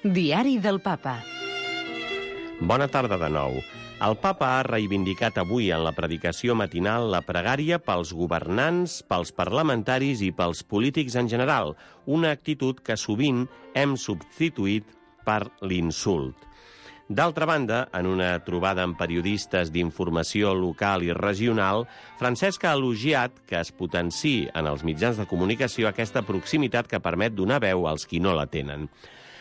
Diari del Papa. Bona tarda de nou. El Papa ha reivindicat avui en la predicació matinal la pregària pels governants, pels parlamentaris i pels polítics en general, una actitud que sovint hem substituït per l'insult. D'altra banda, en una trobada amb periodistes d'informació local i regional, Francesc ha elogiat que es potenciï en els mitjans de comunicació aquesta proximitat que permet donar veu als qui no la tenen.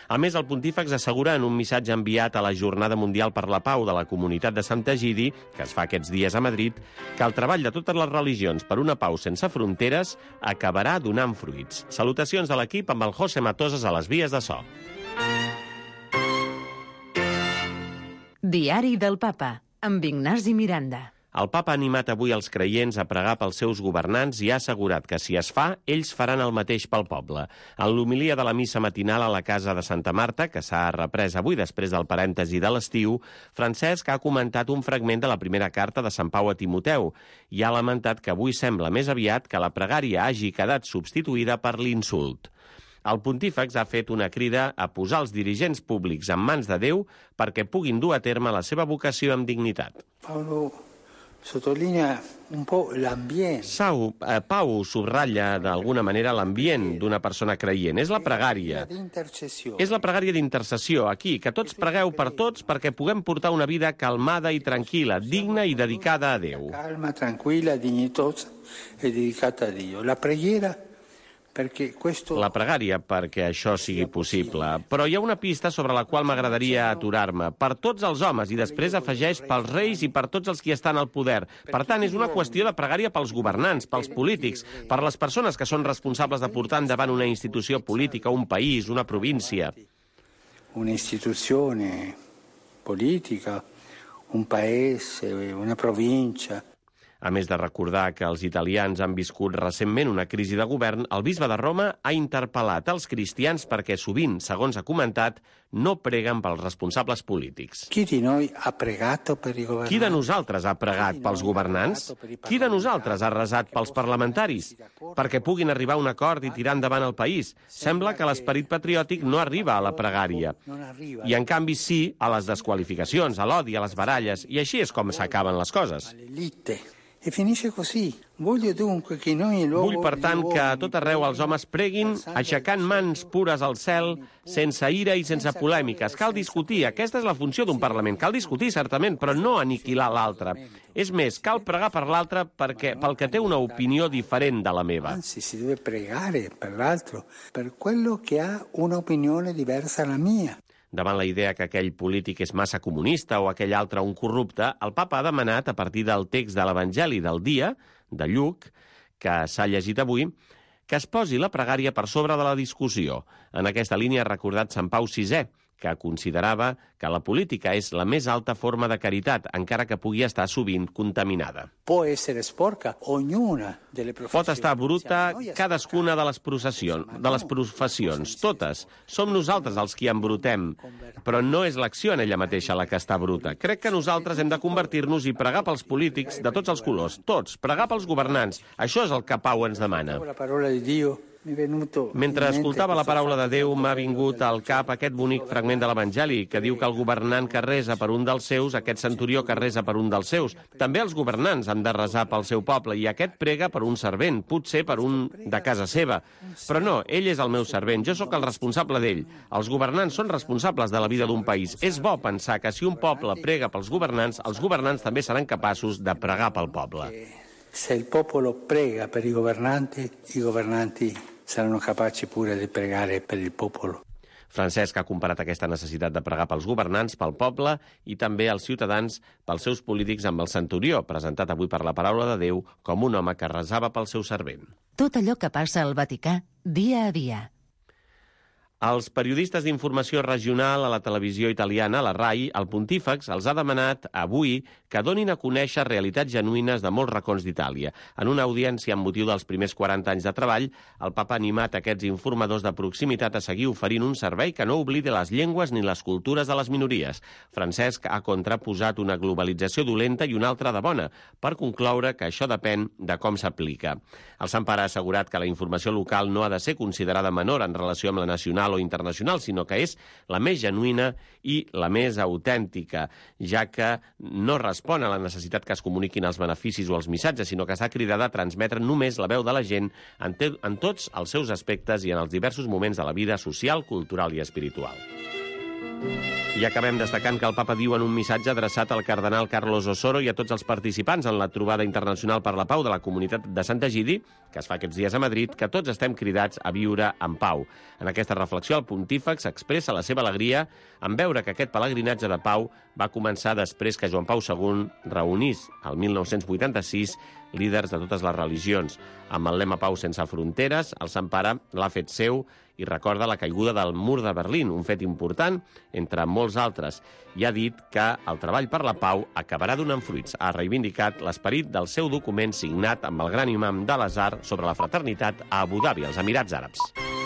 A més, el pontífex assegura en un missatge enviat a la Jornada Mundial per la Pau de la Comunitat de Sant Egidi, que es fa aquests dies a Madrid, que el treball de totes les religions per una pau sense fronteres acabarà donant fruits. Salutacions de l'equip amb el José Matoses a les vies de so. Diari del Papa, amb Ignasi Miranda. El Papa ha animat avui els creients a pregar pels seus governants i ha assegurat que, si es fa, ells faran el mateix pel poble. En l'homilia de la missa matinal a la casa de Santa Marta, que s'ha reprès avui després del parèntesi de l'estiu, Francesc ha comentat un fragment de la primera carta de Sant Pau a Timoteu i ha lamentat que avui sembla més aviat que la pregària hagi quedat substituïda per l'insult. El pontífex ha fet una crida a posar els dirigents públics en mans de Déu perquè puguin dur a terme la seva vocació amb dignitat. Sottolinea un po' l'ambient. Pau subratlla d'alguna manera l'ambient d'una persona creient. És la pregària. És la pregària d'intercessió, aquí, que tots pregueu per tots perquè puguem portar una vida calmada i tranquil·la, digna i dedicada a Déu. Calma, tranquil·la, dignitosa e dedicata a Dio. La preghiera La pregària perquè això sigui possible. Però hi ha una pista sobre la qual m'agradaria aturar-me. Per tots els homes, i després afegeix pels reis i per tots els qui estan al poder. Per tant, és una qüestió de pregària pels governants, pels polítics, per les persones que són responsables de portar endavant una institució política, un país, una província. Una instituzione politica, un paese, una provincia. A més de recordar que els italians han viscut recentment una crisi de govern, el bisbe de Roma ha interpel·lat els cristians perquè sovint, segons ha comentat, no preguen pels responsables polítics. Qui de noi ha pregato per i governanti? Qui de nosaltres ha pregat pels governants? Qui de nosaltres ha resat pels parlamentaris? Perquè puguin arribar a un acord i tirar endavant el país. Sembla que l'esperit patriòtic no arriba a la pregària. I en canvi sí a les desqualificacions, a l'odi, a les baralles. I així és com s'acaben les coses. E finisce così. Voglio dunque che noi Vull, per tant, que a tot arreu els homes preguin aixecant mans pures al cel, sense ira i sense polèmiques. Cal discutir, aquesta és la funció d'un Parlament. Cal discutir, certament, però no aniquilar l'altre. És més, cal pregar per l'altre pel que té una opinió diferent de la meva. Anzi, si deve pregare per l'altro, per quello che ha un'opinione diversa dalla mia. Davant la idea que aquell polític és massa comunista o aquell altre un corrupte, el papa ha demanat, a partir del text de l'Evangeli del dia, de Lluc, que s'ha llegit avui, que es posi la pregària per sobre de la discussió. En aquesta línia ha recordat Sant Pau VI, que considerava que la política és la més alta forma de caritat, encara que pugui estar sovint contaminada. Pot estar bruta cadascuna de les professions, totes. Som nosaltres els qui embrutem, però no és l'acció en ella mateixa la que està bruta. Crec que nosaltres hem de convertir-nos i pregar pels polítics de tots els colors, tots, pregar pels governants. Això és el que Pau ens demana. Mentre escoltava la paraula de Déu, m'ha vingut al cap aquest bonic fragment de l'Evangeli, que diu que el governant que resa per un dels seus, aquest centurió que resa per un dels seus, també els governants han de resar pel seu poble, i aquest prega per un servent, potser per un de casa seva. Però no, ell és el meu servent, jo sóc el responsable d'ell. Els governants són responsables de la vida d'un país. És bo pensar que si un poble prega pels governants, els governants també seran capaços de pregar pel poble. Se il popolo prega per i governanti saranno capaci pure di pregare per il popolo. Francesc ha comparat aquesta necessitat de pregar pels governants, pel poble i també els ciutadans pels seus polítics amb el centurió, presentat avui per la paraula de Déu com un home que resava pel seu servent. Tot allò que passa al Vaticà, dia a dia. Als periodistes d'informació regional a la televisió italiana, la RAI, el pontífex els ha demanat avui que donin a conèixer realitats genuïnes de molts racons d'Itàlia. En una audiència amb motiu dels primers 40 anys de treball, el papa ha animat aquests informadors de proximitat a seguir oferint un servei que no oblidi les llengües ni les cultures de les minories. Francesc ha contraposat una globalització dolenta i una altra de bona, per concloure que això depèn de com s'aplica. El Sant Pare ha assegurat que la informació local no ha de ser considerada menor en relació amb la nacional nacional o internacional, sinó que és la més genuïna i la més autèntica, ja que no respon a la necessitat que es comuniquin els beneficis o els missatges, sinó que està cridada a transmetre només la veu de la gent en tots els seus aspectes i en els diversos moments de la vida social, cultural i espiritual. I acabem destacant que el papa diu en un missatge adreçat al cardenal Carlos Osoro i a tots els participants en la trobada internacional per la pau de la comunitat de Sant Egidi, que es fa aquests dies a Madrid, que tots estem cridats a viure en pau. En aquesta reflexió, el pontífex expressa la seva alegria en veure que aquest pelegrinatge de pau va començar després que Joan Pau II reunís, el 1986, líders de totes les religions. Amb el lema Pau sense fronteres, el Sant Pare l'ha fet seu i recorda la caiguda del mur de Berlín, un fet important entre molts altres, i ha dit que el treball per la pau acabarà donant fruits. Ha reivindicat l'esperit del seu document signat amb el gran imam de l'Azhar sobre la fraternitat a Abu Dhabi, als Emirats Àrabs.